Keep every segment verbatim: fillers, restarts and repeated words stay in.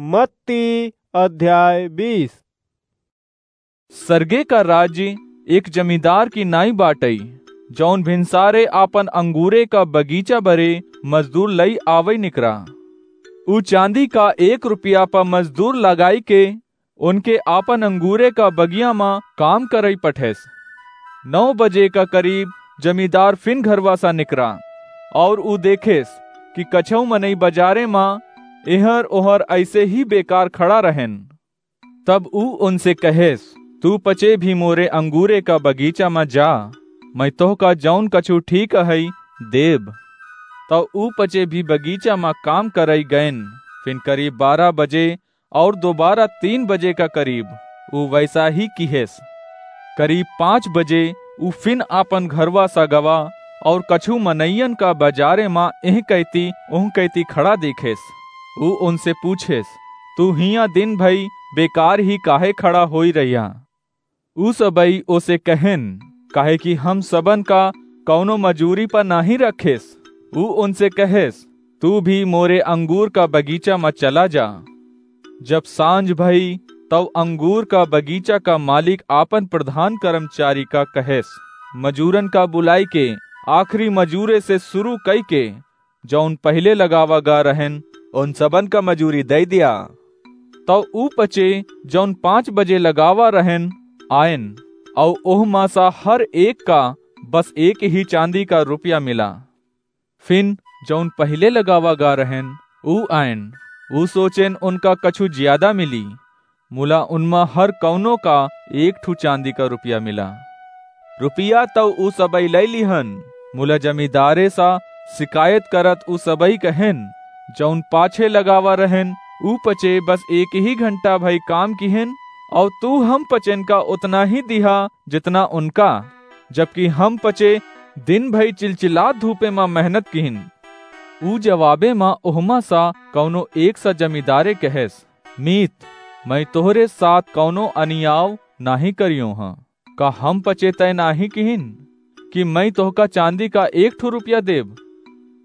मत्ती अध्याय बीस। सरगे का राज्य एक जमींदार की नाई बाटई, जौन भिनसारे आपन अंगूरे का बगीचा बरे मजदूर लई आवई निकरा। ऊ चांदी का एक रुपया प मजदूर लगाई के उनके आपन अंगूरे का बगिया म काम करई पठेस। नौ बजे का करीब जमींदार फिन घरवा सा निकरा और ऊ देखेस कि कछऊ मनई बजारे म एहर ओहर ऐसे ही बेकार खड़ा रहेन। तब ऊ उनसे कहेस, "तू पचे भी मोरे अंगूरे का बगीचा म जा, मैं तोहका जौन कछु ठीक अहई देब।" तब ऊ पचे भी बगीचा म काम करई गएन। फिन करीब बारह बजे और दोबारा तीन बजे का करीब ऊ वैसा ही किहेस। करीब पाँच बजे ऊ फिन आपन घरवा सा गवा और कछु मनइयन का बजारे म एह कैती ओह कैती खड़ा देखेस। ऊ उनसे पूछेस, "तू हियां दिन भई बेकार ही काहे खड़ा होई रहिया?" ऊ सबई ओसे कहेन, "काहे कि हम सबन का कौनो मजूरी पर नाहीं रखेस।" ऊ उनसे कहेस, "तू भी मोरे अंगूर का बगीचा म चला जा।" जब सांझ भई, तब अंगूर का बगीचा का मालिक आपन प्रधान कर्मचारी का कहेस, "मजूरन का बुलाई के आखिरी मजूरे से शुरू कई के जौन पहिले लगावा गा रहेन, उन सबन का मजूरी दई दिया।" तब ऊ पचे जौन पाँच बजे लगावा रहेन, आएन, अउ ओह मा सा हर एक का बस एक ही चांदी का रुपया मिला। फिन जौन पहिले लगावा गा रहेन, ऊ आएन, ऊ सोचेन उनका कछु ज्यादा मिली, मुला उनमा हर कौनो का एक ठू चांदी का रुपया मिला। रुपया तौ ऊ सबई लई लिहन, मुला जमींदारे सा शिकायत करत ऊ सबई कहेन, "जौन पाछे लगावा रहेन, ऊ पचे बस एक ही घंटा भई काम किहेन, अउ तू हम पचेन का उतना ही दिहा, जितना उनका, जबकि हम पचे दिन भई चिलचिलात धूपे मा मेहनत किहिन।" ऊ जवाबे मा ओहमा सा कौनो एक सा जमींदारे कहेस, "मीत, मैं तोहरे साथ कौनो अनियाव नाहीं करियो हँ। का हम पचे तय नाहीं किहिन कि मैं तोहका चांदी का एक ठो रुपया देब?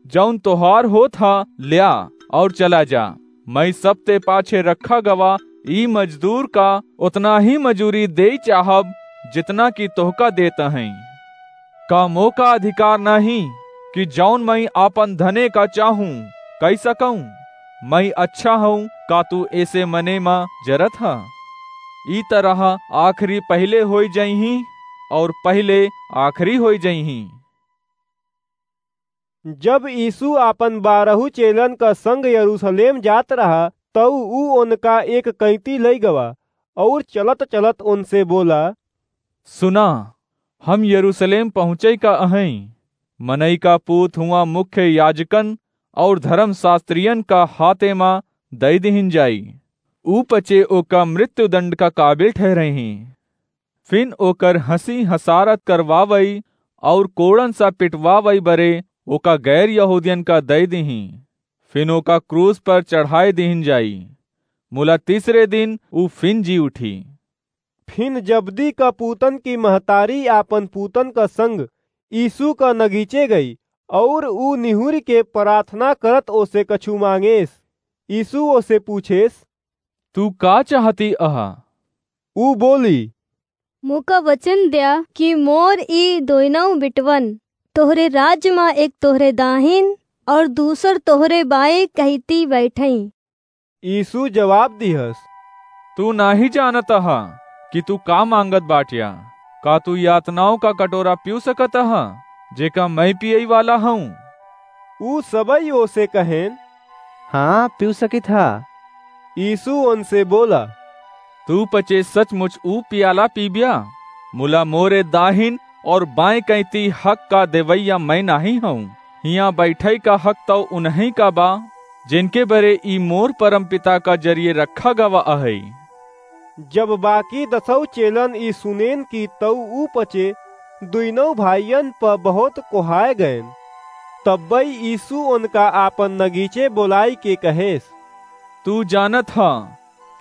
जौन तोहार होत हा, ल्या और चला जा। मैं सबते पाछे रखा गवा ई मजदूर का उतना ही मजूरी देई चाहब, जितना कि तोहका देत हई। का मोका अधिकार नाहीं कि जौन मैं आपन धने का चाहूं, कई सकूं? मैं अच्छा हूं, का तू ऐसे मने मा जरत हा? ई तरह आखिरी पहिले होई जइहीं और पहिले आखिरी होई जइहीं।" जब यीशु आपन बारहू चेलन का संग यरूशलेम जात रहा, तऊ ऊ उनका एक कैंती लई गवा और चलत-चलत उनसे बोला, "सुना, हम यरूशलेम पहुँचई का अहई। मनई का पूत हुआ मुख्य याजकन और धर्मशास्त्रियन का हाथे मा दई दिहिन जाई। ऊ पचे ओका मृत्युदंड का काबिल ठहरइहीं। फिन ओकर हंसी हसारत करवावई और कोड़न सा पिटवावई बरे ओका गैर यहूदियन का दई दिहीं। फिन ओका क्रूस पर चढ़ाई दिहिन जाई। मुला तीसरे दिन ऊ फिन जी उठी।" फिन जब्दी का पूतन की महतारी आपन पूतन का संग यीशु का नगीचे गई, और ऊ निहुर के प्रार्थना करत ओसे कछु मांगेस। यीशु ओसे पूछेस, "तू का चाहती अहा?" ऊ बोली, "मोका वचन द्या कि मोर ई दोइनौ बिटवन तोहरे राज्य मा एक तोहरे दाहिन और दूसर तोहरे बाएं कहिती बैठई।" यीशु जवाब दिहस, "तू नाहीं जानत अहा कि तू का मांगत बाटिया। का तू यातनाओं का कटोरा पीऊ सकत अहा, जेका मैं पियई वाला हूँ?" ऊ सबई ओसे कहेन, "हाँ, पीऊ सकित हा।" यीशु उनसे बोला, "तू पचे सचमुच ऊ पियाला पीबिया, मुला मोरे दाहिन और बाएं कैती हक का देवैया मैं नाहीं हूँ। हियाँ बैठई का हक तौ उन्हीं का बा, जिनके बरे ई मोर परमपिता का जरिए रखा गवा अहई।" जब बाकी दसौ चेलन ई सुनेन कि तौ ऊ पचे दुइनौ भाइयन प बहुत कोहाय गएन। तब्बई यीशु उनका आपन नगीचे बोलाई के कहेस, "तू जानत ह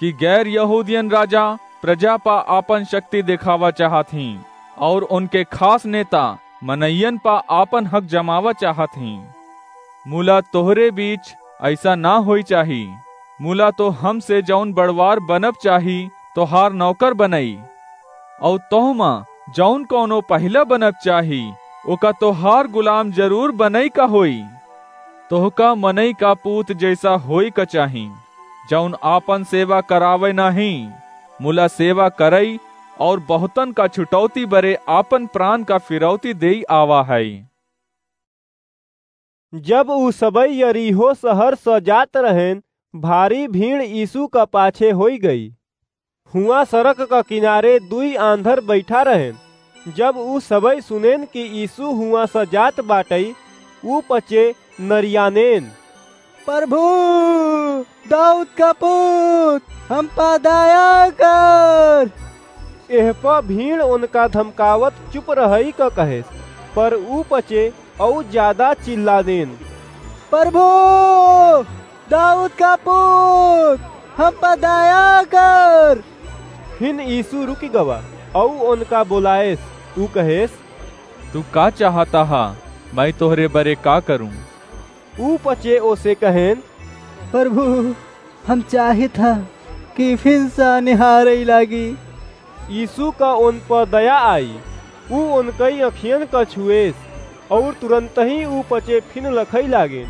कि गैर यहूदियन राजा प्रजा प आपन शक्ति देखावा चाहत हीं और उनके खास नेता मनइयन प आपन हक जमावा चाहत हीं। मुला तोहरे बीच ऐसा ना होई चाही। मुला तो हमसे जौन बड़वार बनब चाही, तोहार नौकर बनई। अउ तोहमा जौन कौनो पहिला बनब चाही, ओका तोहार गुलाम जरूर बनई का होई। तोहका मनई का पूत जैसा होई का चाही, जौन आपन सेवा करावे नाहीं, मुला सेवा करई और बहुतन का छुटौती बरे आपन प्राण का फिरौती देई आवा है। जब ऊ सबई यरीहो शहर स जात रहेन, भारी भीड़ यीशु का पाछे होई गई। हुआं सड़क का किनारे दुई आंधर बैठा रहेन। जब ऊ सबई सुनेन कि यीशु हुआं स जात बाटई, ऊ पचे नरियानेन, "प्रभु, दाऊद का पूत, हम पा दया कर।" एह प भीड़ उनका धमकावत चुप रहई क कहेस, पर ऊ पचे अउ ज्यादा चिल्ला देन, "प्रभु, दाऊद का पूत, हम पर दया कर।" फिन यीशु रुकि गवा अउ उनका बोलाएस। ऊ कहेस, "तू का चाहता हा? मैं तोहरे बरे का करूं?" ऊ पचे ओसे कहेन, "प्रभु, हम चाहित हा कि फिन सा निहारई लागी।" यीशु का उन पर दया आई, ऊ उनकई अखियन का छुएस, और तुरंतही ऊ पचे फिन लखई लागेन।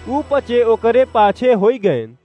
ऊ पचे ओकरे पाछे होई गएन।